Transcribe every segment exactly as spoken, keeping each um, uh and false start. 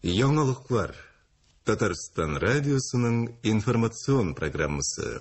Яңалыклар. Татарстан радиосының информацион программасы.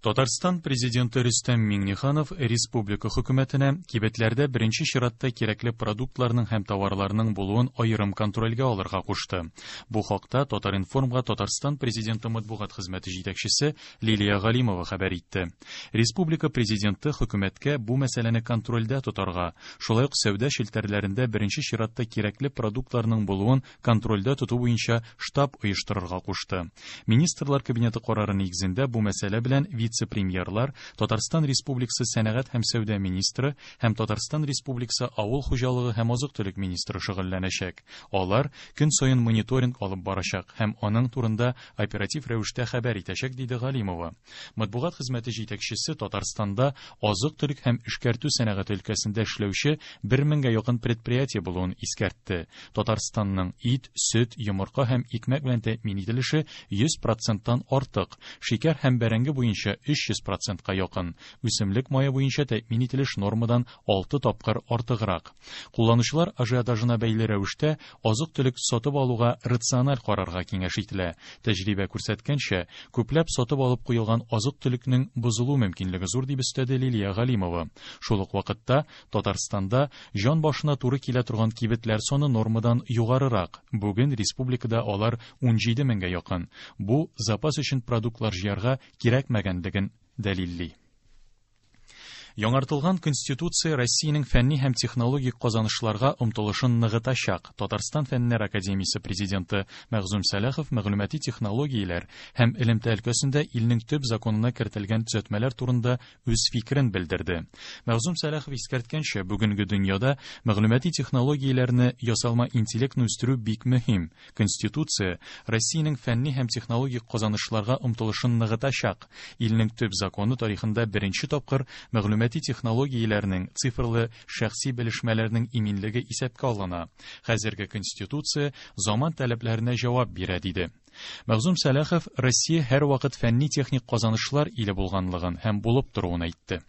Татарстан президенты Рөстәм Миңнеханов республика хөкүмәтенә кибетләрдә беренче чиратта кирәкле продуктларның һәм товарларның булуын аерым контрольгә алырга кушты. Бу хакта Татар-информга Татарстан президенты матбугат хезмәте җитәкчесе Лилия Галимова хәбәр итте. Республика президенты хөкүмәткә бу мәсьәләне контрольдә тотарга, шулай ук сәүдә челтәрләрендә беренче чиратта кирәкле продуктларның булуын контрольдә тоту буенча штаб оештырырга кушты. Министрлар кабинеты карары нигезендә бу мәсьәлә белән вице-премьерлар, Татарстан Республикасы сәнәгать һәм сәүдә министры һәм Татарстан Республикасы авыл хуҗалыгы һәм азык-төлек министры шөгыльләнәчәк. Алар көн саен мониторинг алып барачак һәм аның турында оператив рәвештә хәбәр итәчәк, диде Галимова. Матбугат хезмәте җитәкчесе Татарстанда азык-төлек һәм эшкәртү сәнәгате өлкәсендә эшләүче бер меңгә якын предприятие булуын искәртте. Татарстанның ит, сөт, йомырка һәм икмәк белән тәэмин ителеше йөз проценттан артык, шикәр һәм бәрәңге буенча өч йөз процентка якын, үсемлек мае буенча тәэмин ителеш нормадан алты тапкыр артыграк. Кулланучылар ажиотажына бәйле рәвештә азык-төлек сатып алуга рациональ карарга киңәш ителә. Тәҗрибә күрсәткәнчә, күпләп сатып алып куелган азык-төлекнең бозылу мөмкинлеге зур, дип өстәде Лилия Галимова. Шул ук вакытта Татарстанда җан башына туры килә торган кибетләр саны нормадан югарырак. Бүген республикада алар ун җиде меңгә якын. Бу запас өчен продуктлар җыярга кирәкмәгәнлеген дәлилли. Яңартылган Конституция Россиянең фәнни һәм технологик казанышларга омтылышын ныгытачак. Татарстан Фәннәр академиясе президенты Мәгъзүм Сәлахов мәгълүмати технологияләр һәм элемтә өлкәсендә илнең төп законына кертелгән төзәтмәләр турында үз фикерен белдерде. Мәгъзүм Сәлахов искәрткәнчә, бүгенге дөньяда мәгълүмати технологияләрне ясалма интеллектны үстерү бик мөһим. Конституция Россиянең фәнни һәм технологик казанышларга омтылышын ныгытачак. Илнең төп законы тарихында беренче тапкыр мәгълүмати технологияләрнең цифрлы шәхси белешмәләрнең иминлеге исәпкә алына. Хәзерге Конституция заман таләпләренә җавап бирә, диде. Мәгъзүм Сәлахов Россия һәрвакыт фәнни-техник казанышлар иле булганлыгын һәм булып торуын әйтте.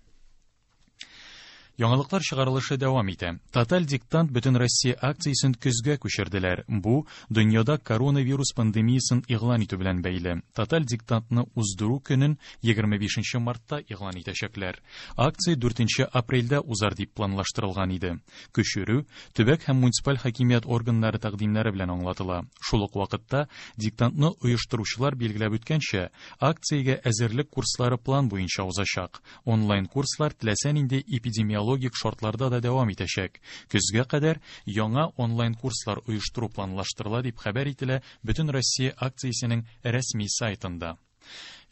Яңалыклар чыгарылышы дәвам итә. Тоталь диктант бөтен Россия акциясен көзгә күчерделәр. Бу дөньяда коронавирус пандемиясын игълан итү белән бәйле. Тоталь диктантны уздыру көнен егерме бишенче мартта игълан итәчәкләр. Акция дүртенче апрельдә узар дип планлаштырылган иде. Күчерү төбәк һәм муниципаль хакимият органнары тәкъдимнәре белән аңлатыла. Шул ук вакытта диктантны оештыручылар билгеләп үткәнчә, акциягә әзерлек курслары план буенча узачак. Онлайн курслар теләсә нинди эпидемиологик логик шартларда да дәвам итәчәк. Көзгә кадәр яңа онлайн курслар оештыру планлаштырыла, дип хәбәр ителә Бөтен Россия акциясенең рәсми сайтында.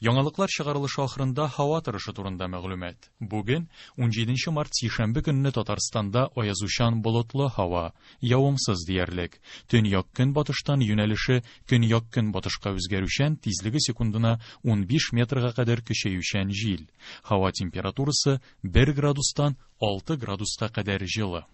Яңалыклар чыгарылышы ахырында һава торышы турында мәгълүмат. Бүген ун җиденче март сишәмбе көнне Татарстанда аязучан болытлы һава, явымсыз диярлек. Төньяк көнбатыштан юнәлеше көньяк көнбатышка үзгәрүчән, тизлеге секундына ун биш метрга кадәр көчәючән җил. Һава температурасы бер градустан алты градуска кадәр җылы.